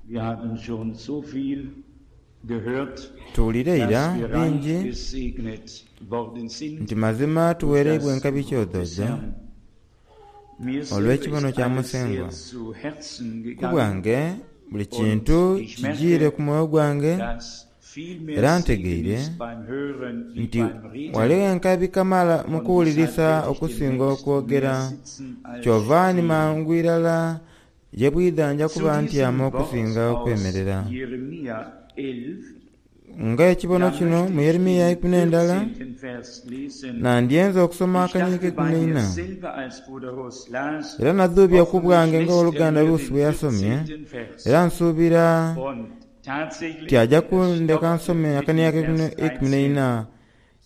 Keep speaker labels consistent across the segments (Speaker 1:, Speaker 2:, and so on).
Speaker 1: Wir haben schon so viel gehört,
Speaker 2: Tuwulire ira
Speaker 1: dass wir reich
Speaker 2: bingi
Speaker 1: gesegnet worden sind
Speaker 2: nti mazima
Speaker 1: durch
Speaker 2: tuwereibwa
Speaker 1: das
Speaker 2: enkabi
Speaker 1: Wort des
Speaker 2: kyodhojo
Speaker 1: Herrn. Mir selber
Speaker 2: olw'ekibono
Speaker 1: ist
Speaker 2: kya
Speaker 1: alles
Speaker 2: Musengwa.
Speaker 1: sehr zu Herzen
Speaker 2: Ku
Speaker 1: gegangen
Speaker 2: bwange buli
Speaker 1: und
Speaker 2: kintu
Speaker 1: ich
Speaker 2: kijiire
Speaker 1: merke,
Speaker 2: ku mwoyo gwange
Speaker 1: dass viel mehr
Speaker 2: era
Speaker 1: Segen
Speaker 2: ntegeire
Speaker 1: ist beim Hören wie
Speaker 2: nti
Speaker 1: beim Reden.
Speaker 2: ghaligho enkabi kamala mu
Speaker 1: Und deshalb
Speaker 2: kuwulirisa
Speaker 1: werde ich
Speaker 2: okusinga
Speaker 1: demnächst
Speaker 2: okwogera
Speaker 1: mehr sitzen als
Speaker 2: kyova ni
Speaker 1: stehen.
Speaker 2: mangu irala ye bwidha nja
Speaker 1: Zu
Speaker 2: kuba
Speaker 1: diesem
Speaker 2: ntyama
Speaker 1: Wort
Speaker 2: okusinga
Speaker 1: aus
Speaker 2: okwemerera.
Speaker 1: Jeremia 11,
Speaker 2: Nga ekibono
Speaker 1: da
Speaker 2: kino
Speaker 1: möchte
Speaker 2: mu
Speaker 1: ich
Speaker 2: Yeremiya
Speaker 1: den
Speaker 2: ikumi n'endala
Speaker 1: 14. Vers lesen.
Speaker 2: nandyenze okusoma
Speaker 1: Ich
Speaker 2: akanyiriro
Speaker 1: dachte
Speaker 2: k'eikumi
Speaker 1: bei mir
Speaker 2: n'eina
Speaker 1: selber, als Bruder Ross las,
Speaker 2: era nadhuubya ku
Speaker 1: hoffentlich
Speaker 2: bwange
Speaker 1: lässt er
Speaker 2: ng'oluganda
Speaker 1: mir
Speaker 2: Rusi
Speaker 1: den
Speaker 2: bwe yasomye
Speaker 1: 14. Vers.
Speaker 2: era nsuubira
Speaker 1: Und tatsächlich,
Speaker 2: ti ajja
Speaker 1: er
Speaker 2: kundeka
Speaker 1: stoppte
Speaker 2: nsome
Speaker 1: mit
Speaker 2: akanyiriro
Speaker 1: dem Vers
Speaker 2: k'eikumi
Speaker 1: 13.
Speaker 2: n'eina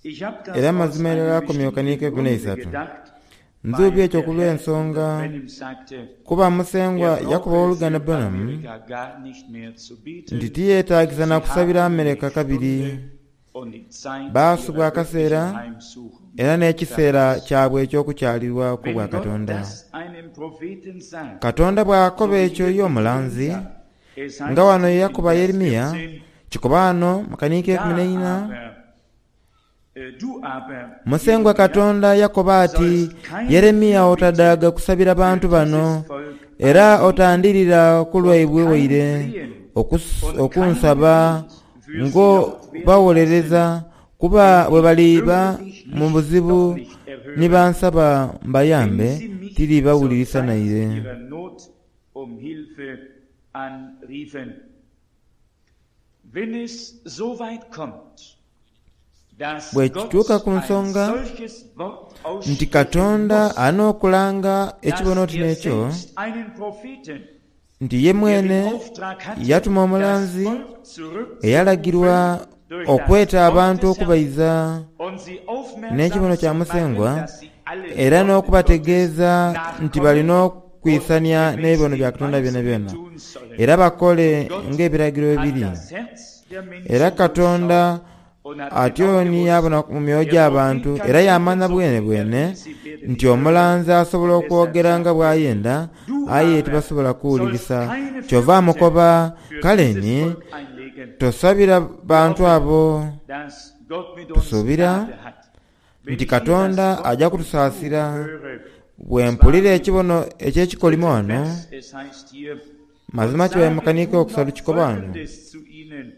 Speaker 1: Ich habe das
Speaker 2: era
Speaker 1: aus
Speaker 2: amazima
Speaker 1: einem
Speaker 2: irala akomye
Speaker 1: bestimmten
Speaker 2: akanyiriro k'eikumi
Speaker 1: Grunde
Speaker 2: n'eisatu.
Speaker 1: gedacht,
Speaker 2: Nzuubya
Speaker 1: weil
Speaker 2: ekyo
Speaker 1: der
Speaker 2: ku
Speaker 1: Herr
Speaker 2: lw'ensonga
Speaker 1: Bruder Branham sagte,
Speaker 2: kuba Musengwa
Speaker 1: er
Speaker 2: yakuba
Speaker 1: brauche
Speaker 2: owooluganda
Speaker 1: für
Speaker 2: Branham
Speaker 1: Amerika gar nicht mehr zu
Speaker 2: nti
Speaker 1: beten.
Speaker 2: tiyeetaagisa na
Speaker 1: Sie
Speaker 2: kusabira
Speaker 1: haben die
Speaker 2: Amerika kabiri
Speaker 1: Stunde und die Zeit
Speaker 2: baasubwa
Speaker 1: ihrer
Speaker 2: akaseera
Speaker 1: göttlichen Heimsuchung
Speaker 2: era n'ekiseera
Speaker 1: verpasst.
Speaker 2: kyabwe eky'okukyalirwaku
Speaker 1: Wenn
Speaker 2: bwa
Speaker 1: Gott
Speaker 2: Katonda.
Speaker 1: das einem Propheten sagt,
Speaker 2: Katonda bw'akoba
Speaker 1: so wie
Speaker 2: ekyo
Speaker 1: hier
Speaker 2: ye omulanzi
Speaker 1: Jeremia, es
Speaker 2: nga
Speaker 1: heißt
Speaker 2: wano ye
Speaker 1: in
Speaker 2: yakuba
Speaker 1: Vers
Speaker 2: Yeremiya
Speaker 1: 14,
Speaker 2: kikoba wano mu kanyiriro k'eikumi
Speaker 1: da
Speaker 2: n'eina
Speaker 1: aber, du aber,
Speaker 2: Musengwa
Speaker 1: Jeremia,
Speaker 2: Katonda yakoba ati
Speaker 1: sollst keine
Speaker 2: Yeremiya
Speaker 1: Fürbitte
Speaker 2: otadaaga kusabira
Speaker 1: für
Speaker 2: bantu bano
Speaker 1: dieses Volk
Speaker 2: era
Speaker 1: einlegen
Speaker 2: otandirira ku
Speaker 1: und
Speaker 2: lwaibwe
Speaker 1: kein
Speaker 2: waire
Speaker 1: Flehen und kein
Speaker 2: okunsaba
Speaker 1: Gebet für sie
Speaker 2: ngo
Speaker 1: laut werden lassen,
Speaker 2: bawolereza kuba
Speaker 1: denn
Speaker 2: bwe
Speaker 1: ich
Speaker 2: baliba
Speaker 1: würde dich
Speaker 2: mu
Speaker 1: nicht,
Speaker 2: buzibu
Speaker 1: doch nicht
Speaker 2: ni
Speaker 1: erhören,
Speaker 2: bansaba
Speaker 1: wenn
Speaker 2: mbayambe
Speaker 1: sie mich zur
Speaker 2: tiribawulirisa
Speaker 1: Zeit
Speaker 2: naire.
Speaker 1: ihrer Not um Hilfe anriefen. Wenn es so weit kommt, dass
Speaker 2: Bwe
Speaker 1: Gott
Speaker 2: kituuka ku
Speaker 1: ein
Speaker 2: nsonga
Speaker 1: solches Wort
Speaker 2: nti
Speaker 1: aussprechen
Speaker 2: Katonda
Speaker 1: muss,
Speaker 2: anookulanga ekibono
Speaker 1: dass
Speaker 2: oti
Speaker 1: er
Speaker 2: n'ekyo
Speaker 1: selbst einen Propheten,
Speaker 2: nti ye
Speaker 1: der den
Speaker 2: mwene
Speaker 1: Auftrag hatte,
Speaker 2: yatuma
Speaker 1: das
Speaker 2: omulanzi
Speaker 1: Volk zurückzurufen
Speaker 2: eyalagirwa
Speaker 1: durch das
Speaker 2: okweta
Speaker 1: Wort
Speaker 2: abantu
Speaker 1: des Herrn
Speaker 2: okubaiza
Speaker 1: und sie aufmerksam
Speaker 2: n'ekibono kya
Speaker 1: zu machen,
Speaker 2: Musengwa
Speaker 1: dass sie allen
Speaker 2: era
Speaker 1: Worten Gottes
Speaker 2: n'okubategeeza nti balina
Speaker 1: nachkommen und
Speaker 2: okwisania
Speaker 1: gemäß
Speaker 2: n'ebibono
Speaker 1: dem
Speaker 2: bya Katonda byona
Speaker 1: Weisen
Speaker 2: byona
Speaker 1: tun sollen.
Speaker 2: era bakole
Speaker 1: Und Gott
Speaker 2: ng'ebiragiro
Speaker 1: hat
Speaker 2: biri.
Speaker 1: das Herz der
Speaker 2: Era
Speaker 1: Menschen
Speaker 2: Katonda
Speaker 1: durchschaut und hat
Speaker 2: atyo
Speaker 1: genau
Speaker 2: ni
Speaker 1: gewusst,
Speaker 2: yabona mu myoyo
Speaker 1: der Prophet
Speaker 2: gy'abantu
Speaker 1: kann
Speaker 2: era
Speaker 1: reden,
Speaker 2: yamanya
Speaker 1: so
Speaker 2: bwene
Speaker 1: viel er
Speaker 2: bwene
Speaker 1: will, sie werden
Speaker 2: nti
Speaker 1: nicht hören.
Speaker 2: omulanzi asobola
Speaker 1: Und deshalb
Speaker 2: okwogera nga
Speaker 1: sagt er,
Speaker 2: bw'ayenda
Speaker 1: du
Speaker 2: aye
Speaker 1: aber
Speaker 2: tibasobola
Speaker 1: sollst
Speaker 2: kuwulirisa
Speaker 1: keine
Speaker 2: kyova
Speaker 1: Fürbitte
Speaker 2: amukoba
Speaker 1: für
Speaker 2: kale
Speaker 1: dieses
Speaker 2: ni
Speaker 1: Volk einlegen.
Speaker 2: tosabira
Speaker 1: Wir
Speaker 2: bantu
Speaker 1: hoffen,
Speaker 2: abo.
Speaker 1: dass Gott mit uns
Speaker 2: Tusuubira
Speaker 1: Gnade hat. Wenn
Speaker 2: nti
Speaker 1: ich hier das
Speaker 2: Katonda
Speaker 1: Wort
Speaker 2: ajja
Speaker 1: vom Fluch
Speaker 2: kutusaasira
Speaker 1: höre,
Speaker 2: bwe
Speaker 1: und zwar
Speaker 2: mpulira
Speaker 1: im
Speaker 2: ekibono eky'ekikolimo
Speaker 1: dritten
Speaker 2: wano
Speaker 1: Vers, es heißt hier, und
Speaker 2: mazima kibaye
Speaker 1: sage
Speaker 2: mukanika
Speaker 1: du
Speaker 2: okusatu
Speaker 1: noch
Speaker 2: kikoba wano
Speaker 1: Folgendes zu ihnen,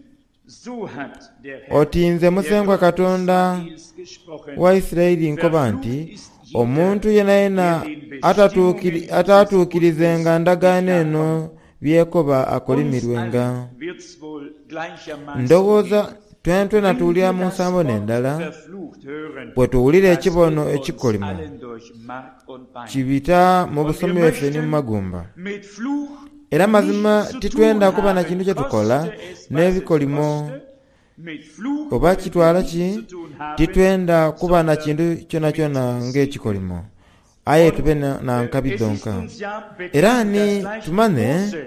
Speaker 1: so hat der Herr,
Speaker 2: oti nze
Speaker 1: der
Speaker 2: Musengwa
Speaker 1: Gott
Speaker 2: Katonda
Speaker 1: Israels gesprochen,
Speaker 2: wa Isirayiri nkoba nti
Speaker 1: verflucht ist jeder,
Speaker 2: omuntu yenayena
Speaker 1: der den Bestimmungen dieses
Speaker 2: ataatuukirizenga
Speaker 1: Bundes nicht
Speaker 2: ndagaano eno
Speaker 1: nachkommt.
Speaker 2: byekoba
Speaker 1: Uns
Speaker 2: akolimirwenga.
Speaker 1: allen wird's wohl gleichermaßen
Speaker 2: Ndowooza
Speaker 1: gehen.
Speaker 2: twentwena
Speaker 1: Wenn
Speaker 2: tuwulira
Speaker 1: wir
Speaker 2: mu
Speaker 1: das
Speaker 2: nsambo
Speaker 1: Wort
Speaker 2: n'endala
Speaker 1: verflucht hören,
Speaker 2: bwe tuwulira
Speaker 1: das
Speaker 2: ekibono
Speaker 1: geht uns
Speaker 2: ekikolimo
Speaker 1: allen durch Mark und Bein.
Speaker 2: kibita mu
Speaker 1: Und
Speaker 2: busomi
Speaker 1: wir
Speaker 2: bwaffe ne mu
Speaker 1: möchten
Speaker 2: magumba.
Speaker 1: mit Fluch
Speaker 2: Era mazima
Speaker 1: nichts zu tun
Speaker 2: titwenda kuba na
Speaker 1: haben,
Speaker 2: kintu kye tukola
Speaker 1: koste es, was es
Speaker 2: n'ebikolimo
Speaker 1: koste. Mit Fluch
Speaker 2: oba
Speaker 1: wollen wir
Speaker 2: kitwala
Speaker 1: nichts
Speaker 2: ki
Speaker 1: zu tun haben,
Speaker 2: titwenda kuba na
Speaker 1: sondern
Speaker 2: kintu kyonakyona
Speaker 1: mit Segen.
Speaker 2: ng'ekikolimo aye
Speaker 1: Und
Speaker 2: tube na nkabi
Speaker 1: es ist
Speaker 2: dhonka.
Speaker 1: uns ja
Speaker 2: Era
Speaker 1: bekannt,
Speaker 2: ni
Speaker 1: dass gleich
Speaker 2: tumanye
Speaker 1: Mose,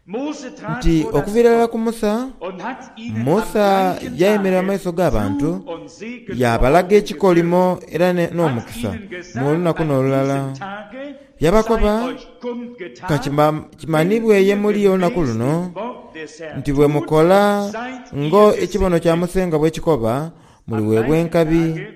Speaker 1: Mose trat
Speaker 2: nti
Speaker 1: vor das
Speaker 2: okuviira ddala
Speaker 1: Volk
Speaker 2: ku Musa,
Speaker 1: und hat ihnen am
Speaker 2: Musa
Speaker 1: gleichen
Speaker 2: yayimirira mu
Speaker 1: Tage
Speaker 2: maiso g'abantu
Speaker 1: Fluch und Segen vor
Speaker 2: yabalaga
Speaker 1: Augen geführt,
Speaker 2: ekikolimo era
Speaker 1: hat
Speaker 2: n'omukisa
Speaker 1: ihnen
Speaker 2: mu
Speaker 1: gesagt,
Speaker 2: lunaku
Speaker 1: an
Speaker 2: n'olulala.
Speaker 1: diesem Tage sei
Speaker 2: Yabakoba
Speaker 1: euch
Speaker 2: ka
Speaker 1: kundgetan, wenn
Speaker 2: kimanibwe ye
Speaker 1: ihr
Speaker 2: muli olunaku
Speaker 1: gemäß
Speaker 2: luno
Speaker 1: dem Wort des Herrn
Speaker 2: nti bwe
Speaker 1: tut,
Speaker 2: mukola
Speaker 1: seid
Speaker 2: ngo
Speaker 1: ihr
Speaker 2: ekibono kya
Speaker 1: gesegnet.
Speaker 2: Musengwa bwe kikoba
Speaker 1: Am
Speaker 2: muliweebwa
Speaker 1: gleichen
Speaker 2: enkabi.
Speaker 1: Tage,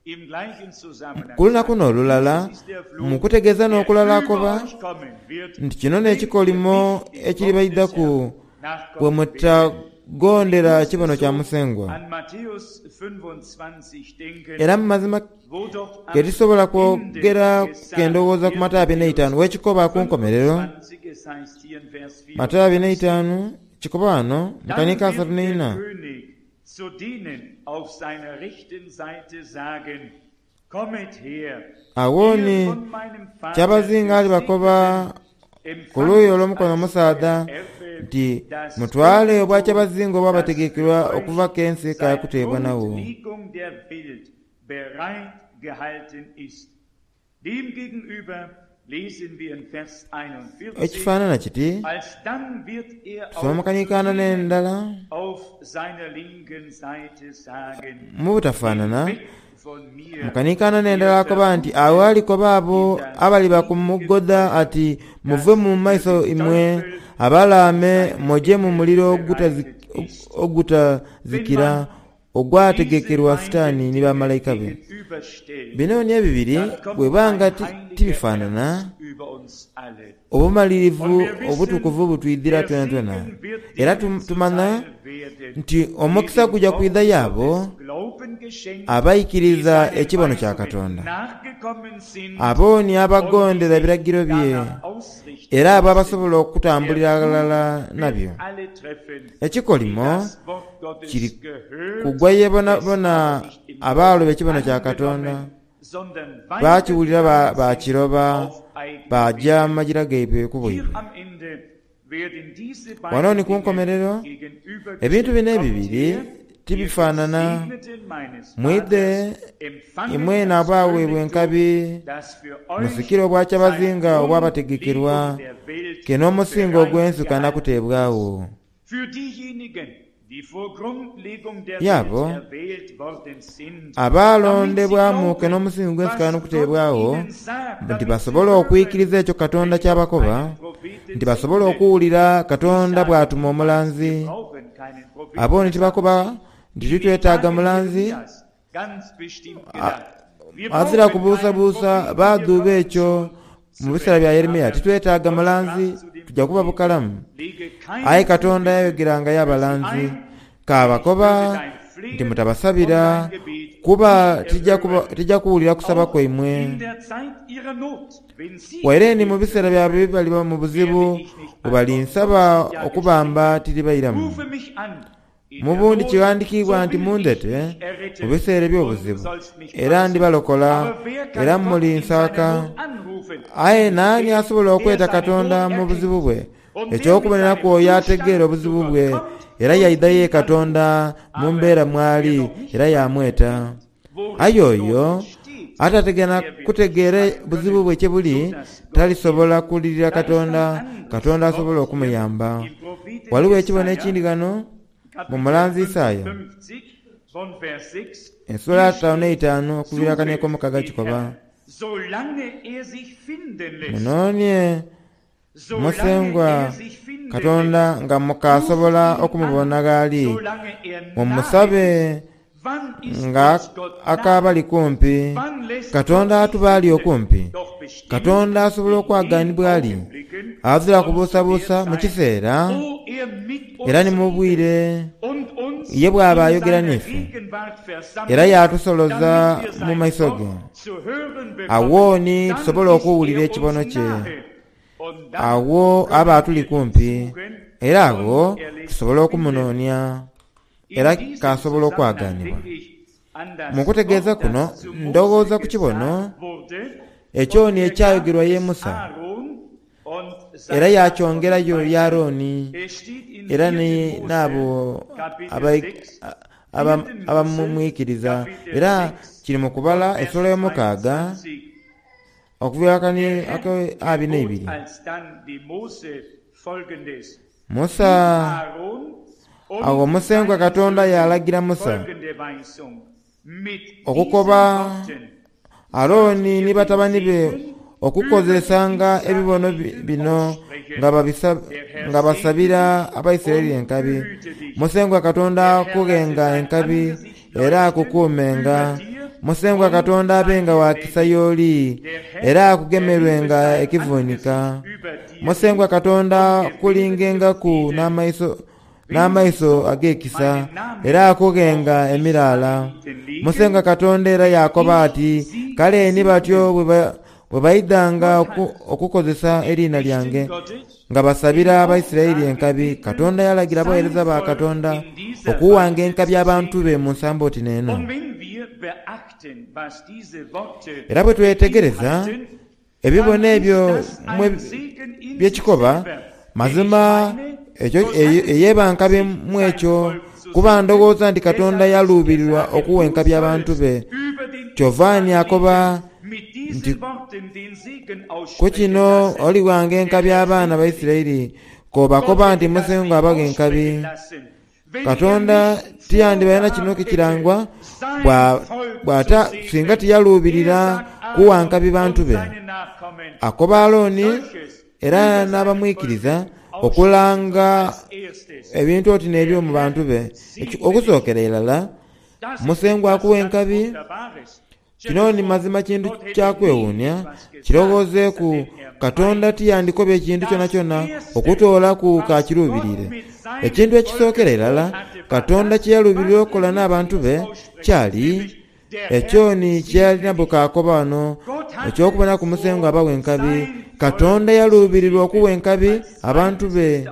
Speaker 1: im gleichen Zusammenhang
Speaker 2: Ku lunaku
Speaker 1: sagt er,
Speaker 2: n'olulala
Speaker 1: dieses ist der
Speaker 2: mu
Speaker 1: Fluch,
Speaker 2: kutegeeza
Speaker 1: der
Speaker 2: n'okulala
Speaker 1: über
Speaker 2: akoba
Speaker 1: euch kommen wird,
Speaker 2: nti kino
Speaker 1: wenn ihr
Speaker 2: n'ekikolimo
Speaker 1: nicht dem Wort des
Speaker 2: ekiribaidhaku
Speaker 1: Herrn
Speaker 2: bwe
Speaker 1: nachkommen werdet.
Speaker 2: mutagondera
Speaker 1: Ich musste
Speaker 2: kibono kya
Speaker 1: so
Speaker 2: Musengwa.
Speaker 1: an Matthäus 25 denken,
Speaker 2: Era mu mazima
Speaker 1: wo doch
Speaker 2: ke
Speaker 1: am
Speaker 2: tisobola
Speaker 1: Ende
Speaker 2: kwogera
Speaker 1: gesagt
Speaker 2: kendowooza ku
Speaker 1: wird,
Speaker 2: Matayo abiri
Speaker 1: Matthäus
Speaker 2: n'eitaanu wekikoba ku nkomerero
Speaker 1: 25, es heißt hier in Vers
Speaker 2: Matayo abiri
Speaker 1: 24,
Speaker 2: n'eitaanu kikoba wano mu
Speaker 1: dann
Speaker 2: kanika asatu
Speaker 1: wird der
Speaker 2: n'eina
Speaker 1: König zu denen auf seiner rechten Seite sagen, Kommet her,
Speaker 2: awo
Speaker 1: ihr
Speaker 2: ni
Speaker 1: von meinem Vater
Speaker 2: kyabazinga alibakoba
Speaker 1: Gesegneten,
Speaker 2: ku luuyi
Speaker 1: empfangt
Speaker 2: olw'omukono
Speaker 1: als
Speaker 2: omusaadha
Speaker 1: euer Erbe
Speaker 2: nti
Speaker 1: das
Speaker 2: mutwale
Speaker 1: Königtum,
Speaker 2: obwakyabazinga
Speaker 1: das
Speaker 2: obwabategekebwa
Speaker 1: für
Speaker 2: okuva
Speaker 1: euch
Speaker 2: k'ensi
Speaker 1: seit
Speaker 2: kakuteebwa nawo.
Speaker 1: Grundlegung der Welt bereit gehalten ist. Demgegenüber
Speaker 2: Ekifaanana kiti tusoma mu kanikaana n'endala mu butafaanana mu kanikaana n'endala akoba nti agho alikoba abo abaliba ku mugodha ati, Muve mu maiso imwe abalaame muje mu muliro ogutazikira ogwategekerwa Sitaani ni bamalaika be. Bino ni ebibiri bweba nga tibifaanana, obumalirivu obutukuvu butwidhira twenatwena. Era tumanha nti omukisa guja kwidha y'abo abaikiriza ekibono kya Katonda, abo ni abagondera ebiragiro bye, era abo abasobola okutambulira aghalala nabyo. Ekikolimo kiri kugwa ye bonabona abaaloba ekibono kya Katonda, baakiwulira baakiroba, baaja mu magira gaibwe ku bwaibwe. Wano ni ku nkomerero, ebintu bino ebibiri tibifaanana. Mwidhe imwena abaaweebwa enkabi, musikire obwakyabazinga obwabategekerwa, ke n'omusingo ogw'ensi kana kuteebwagho. Ye abo abaalondebwamu ke n'omusingi gw'ensi kana okuteebwagho, nti basobole okwikiriza ekyo Katonda ky'abakoba, nti basobole okuwulira Katonda bw'atuma omulanzi. Abo ni tibakoba nti titwetaaga mulanzi. Ghazira kubuusabuusa baadhuuba ekyo mu biseera bya Yeremia. Titwetaaga mulanzi, tuja kuba bukalamu. Aye Katonda yayogerangayo abalanzi, kaabakoba nti mutabasabira, kuba tija kuwulira kusaba kwaimwe. Waire ni mu biseera byabwe bye baliba mu buzibu, bwe balinsaba okubamba tiribairamu. Mu bundi kighandikiibwa nti, Mundhete mu biseera eby'obuzibu, era ndibalokola, era mulinsaaka. Aye naani asobola okweta Katonda mu buzibu bwe? Eky'okuboneraku oyo ategeera obuzibu bwe, era yaidha ye Katonda mu mbeera mw'ali, era yaamweta. Aye oyo atategeera kutegeera buzibu bwe kye buli, talisobola kulirira Katonda, Katonda asobole okumuyamba. Ghaligho ekibono ekindi ghano mu mulanzi Isaia, esula ataanu n'eitaanu okuviira kano ek'omukaaga kikoba, Munoonie Musengwa Katonda nga mukaasobola okumubona gh'ali, mumusabe nga akaabali kumpi. Katonda atuba ali okumpi. Katonda asobola okwagaanibwa ali aghazira kubuusabuusa mu kiseera era ni mu bwire ye bw'aba ayogera n'ife era yaatusoloza mu maiso ge. Agho ni tusobola okuwulira ekibono kye. Agho aba atuli kumpi, era agho tusobola okumunoonia, era k'asobola okwagaanibwa. Mu kutegeeza kuno ndhoghoza ku kibono ekyo ni ekyayogerwa ye Musa, era yaakyongerayo ye Aaroni, era ni n'abo abamwikiriza. Era kiri mu Kubala esula eyomukaaga. Okuva akani ake abiri n'eibiri, Musa. Agho Musengwa Katonda yaalagira Musa okukoba Aaroni ni batabani be okukozesanga ebibono bino nga basabira Abaisiraeli enkabi. Musengwa Katonda akughenga enkabi era akukuumenga. Musengwa Katonda abenga wa kisa y'oli, era akugemerwenga ekivunika. Musengwa Katonda akulingengaku n'amaiso ag'ekisa, era akughenga emiraala. Musengwa Katonda era yaakoba ati, Kale ni batyo bwe baidhanga okukozesa eriina lyange nga basabira Abaisiraeli enkabi. Katonda yalagira abagheereza ba Katonda okuwanga enkabi abantu be mu nsambo oti n'eno. Era bwe twetegereza ebibono ebyo bye kikoba, mazima ekyo ey'eba nkabi mu ekyo, kuba ndhoghoza nti Katonda yaluubirirwa okuwa enkabi abantu be. Kyova ni akoba. Nti ku kino olighanga enkabi abaana ba Isiraeli, k'obakoba nti Musengwa abaghe enkabi. Katonda tiyandibaire na kino kikirangwa bw'ata singa tiyaluubirira kuwa nkabi bantu be. Akoba Aaroni era n'abamwikiriza okulanga ebintu oti n'ebyo mu bantu be. Okusookera irala, Musengwa akuwa enkabi. Kino ni mazima kintu kya kwewuunia. Kirowoozeeku, Katonda tiyandikobye kintu kyonakyona okutoolaku k'akiruubiriire. Ekintu ekisookera irala Katonda kye yaluubirira okukola n'abantu be kyali ekyo ni kye yali nabwo k'akoba ghano, eky'okubonaku Musengwa abawa enkabi. Katonda yaluubirirwa okuwa enkabi abantu be.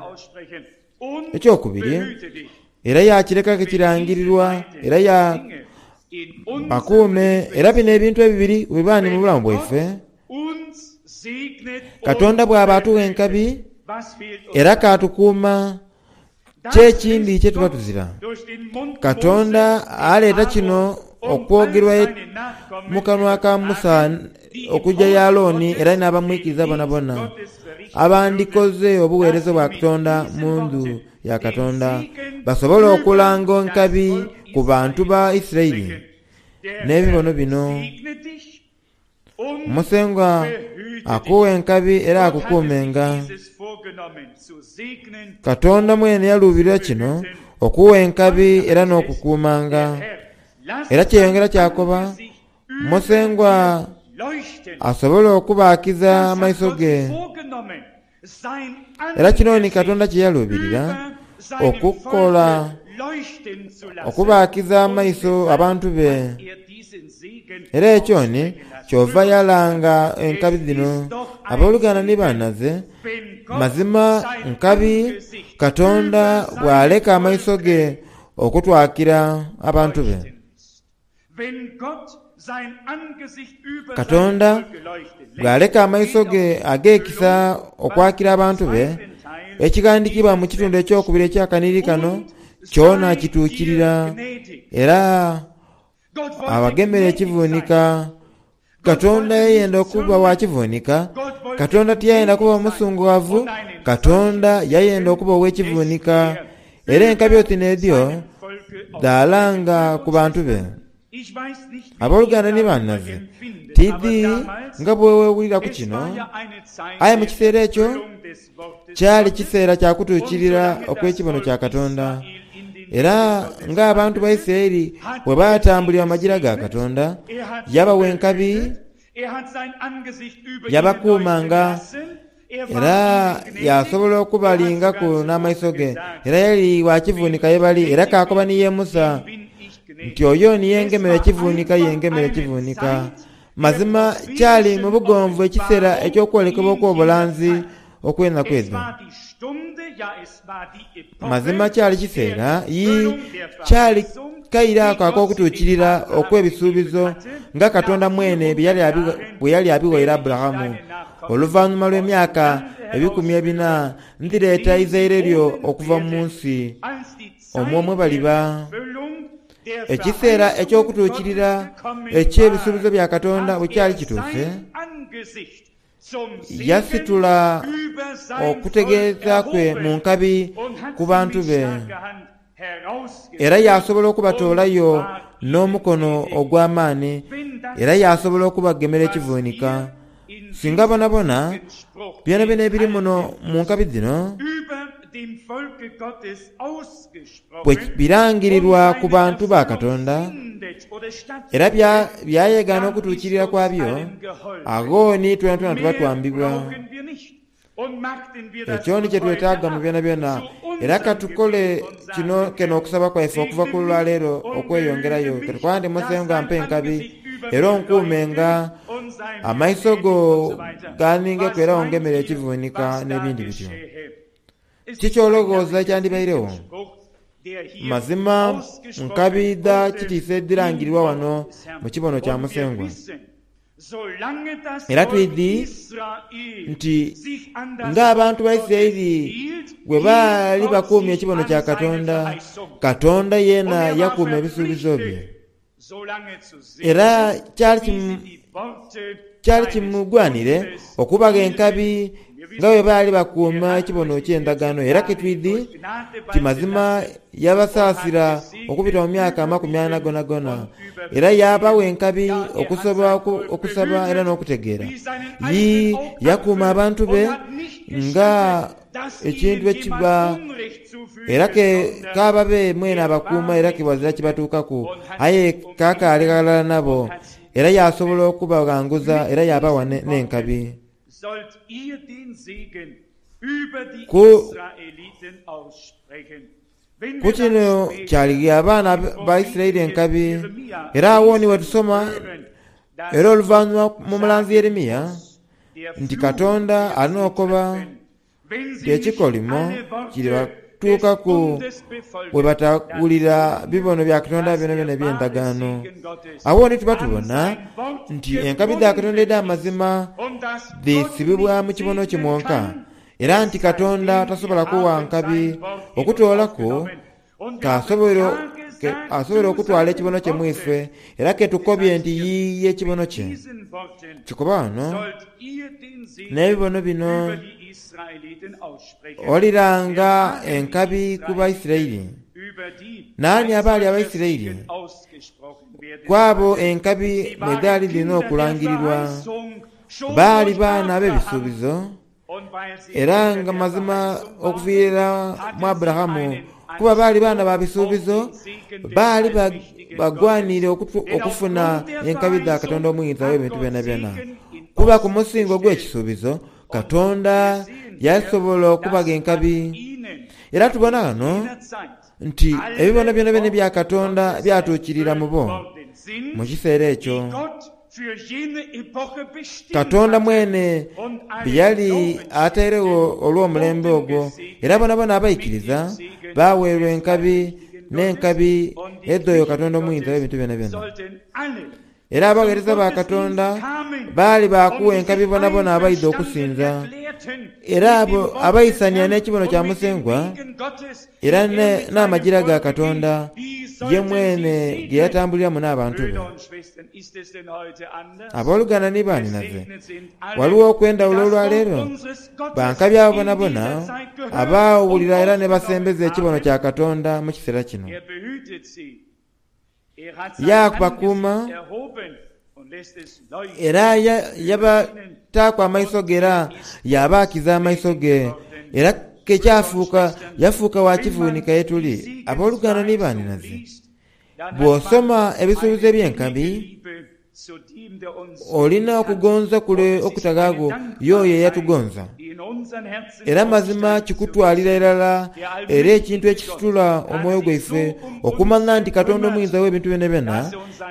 Speaker 2: Ekyokubiri, era yaakireka kirangirirwa era ya bakuume. Era bino ebintu ebibiri bwe biba ni mu bulamu bwaife, Katonda bw'aba atugha enkabi era k'atukuuma, ki ekindi kye tuba tuzira? Katonda aleeta kino okwogerwa mu kanwa ka Musa okuja y'Aaroni era n'abamwikiriza bonabona, abandikoze obugheereza bwa Katonda mu ndhu ya Katonda, basobole okulanga enkabi ku bantu ba Isiraeli n'ebibono bino. Musengwa akughe enkabi era akukuumenga. Katonda mwene yaluubirira kino, okugha enkabi era n'okukuumanga. Era kyeyongera kyakoba, Musengwa asobole okubaakiza amaiso ge. Era kino ni Katonda kye yaluubirira okukola, okubaakiza amaiso abantu be. Era ekyo ni kyova yalanga enkabi dhino, Aboluganda ni banhaze, mazima nkabi Katonda bw'aleka amaiso ge okutwakira abantu be. Katonda bw'aleka amaiso ge ag'ekisa okwakira abantu be, ekighandiikibwa mu kitundu ekyokubiri eky'akanhiriri kano kyona kituukirira era abagemera ekivunika. Katonda yayenda okuba wa kivunika. Katonda tiyayenda kuba musungughavu. Katonda yayenda okuba ow'ekivunika. Era enkabi oti n'edho dhaalanga ku bantu be. Aboluganda ni banhaze, tiidhi nga bwe weewulira ku kino, aye mu kiseera ekyo kyali kiseera kya kutuukirira okw'ekibono kya Katonda. Era ng'abantu ba Isiraeli bwe baatambulira mu magira ga Katonda, yabawa enkabi, yabakuumanga, era yaasobola okubalingaku n'amaiso ge. Era yali wa kivuunika ye bali, era kaakoba ni ye Musa nti, Oyo ni yengemera ekivuunika, yengemera ekivuunika. Mazima kyali mu bugonvu ekiseera eky'okwolekebwa okw'obulanzi okw'enaku edho. Mazima kyali kiseera, yii, kyali kaire ako ak'okutuukirira okw'ebisuubizo nga Katonda mwene bwe yali abighaire Aburahamu, Oluvanhuma lw'emyaka ebikumi ebina ndhireeta eizaire lyo okuva mu nsi omwo mwe baliba. Ekiseera eky'okutuukirira eky'ebisuubizo bya Katonda bwe kyali kituuse, yasitula okutegeeza kwe mu nkabi ku bantu be, era yaasobola okubatoolayo n'omukono ogw'amaani, era yaasobola okubagemera ekivunika. Singa bonabona, byonabyona ebiri muno mu nkabi dhino bwe birangirirwa ku bantu ba Katonda era byayegaana okutuukirira kwabyo, agho ni twenatwena tuba twambibwa. Ekyo ni kye twetaaga mu byonabyona, era ka tukole kino kene okusaba kwaife okuva ku lwaleero okweyongerayo. Ke tukoba nti, Musengwa mpa enkabi, era onkuumenga, amaiso go gaaningeku era ongemere ekivuunika, n'ebindi bityo. Ki ky'ologhooza ekyandibairegho? Mazima nkabi dha kitiisa edhirangirirwa wano mu kibono kya Musengwa. Era twidhi nti ng'abantu ba Isiraeli bwe baali bakuumye ekibono kya Katonda, Katonda yeena yakuuma ebisuubizo bye. Era kyali. Kyali kimugwanire okubagha enkabi nga bwe baali bakuuma ekibono eky'endagaano, era ke twidhi nti mazima yabasaasira okubita mu myaka 40 gonagona, era yaabagha enkabi okusobola okusaba era n'okutegeera. Yii, yakuuma abantu be nga ekintu ekiba, era ke k'ababe mwene abakuuma era ke ghazira kibatuukaku, aye k'akaali ghalala nabo. Era yaasobola okubaghanguza era yaabawa n'enkabi. Ku ku kino kyaligha abaana ba Isiraeli enkabi. Era agho ni wetusoma era oluvanhuma mu mulanzi Yeremia nti Katonda ali n'okoba nti ekikolimo kiribatuukaku bwe batawulira bibono bya Katonda byonabyona eby'endagaano. Agho ni tuba tubona nti enkabi dha Katonda edh'amazima dhisibibwa mu kibono kye mwonka, era nti Katonda tasobola kuwa nkabi okutoolaku K'asobole okutwala ekibono kye mu ife, era ke tukobye nti yiiya ekibono kye. Kikoba ghano n'ebibono bino, Oliranga enkabi ku Baisiraeli. Naani abaali Abaisiraeli? Ku abo enkabi mwe dhaali dhirina okulangirirwa. Baali baana ab'ebisuubizo. Era nga mazima okuviira mu Aburahamu, kuba baali baana ba bisuubizo, baali bagwaniire okufuna enkabi dha Katonda Omuyinza w'ebintu byonabyona. Kuba ku musingo ogw'ekisuubizo, Katonda yasobola okubagha enkabi. Era tubona ghano nti ebibono byonabyona ebya Katonda byatuukirira mu bo mu kiseera ekyo. Katonda mwene bye yali atairegho olw'omulembe ogwo, era boonaboona abaikiriza baaweerwa enkabi n'enkabi edh'oyo Katonda Omuyinza w'ebintu byonabyona. Era abagheereza ba Katonda baali ba kuwa enkabi boonaboona abaidha okusinza, era abo abaisania n'ekibono kya Musengwa era n'amagira ga Katonda ye mwene ge yatambuliramu n'abantu be. Aboluganda ni baanhinaze, ghaligho okw'endhawulo olwaleero? Bankabi abo bonabona abaawulira era ne basembeza ekibono kya Katonda mu kiseera kino. Yaabakuuma era yabataaku amaiso ge era yaabaakiza amaiso ge, era ke kyafuuka yafuuka wa kivuunika ye tuli. Aboluganda ni baanhinaze, bw'osoma ebisuubizo eby'enkabi, Olina okugonza kule okutaghagho y'oyo eyatugonza. Era mazima kikutwalira irala era ekintu ekisitula omwoyo gwaife okumanha nti Katonda Omuyinza w'ebintu byonabyona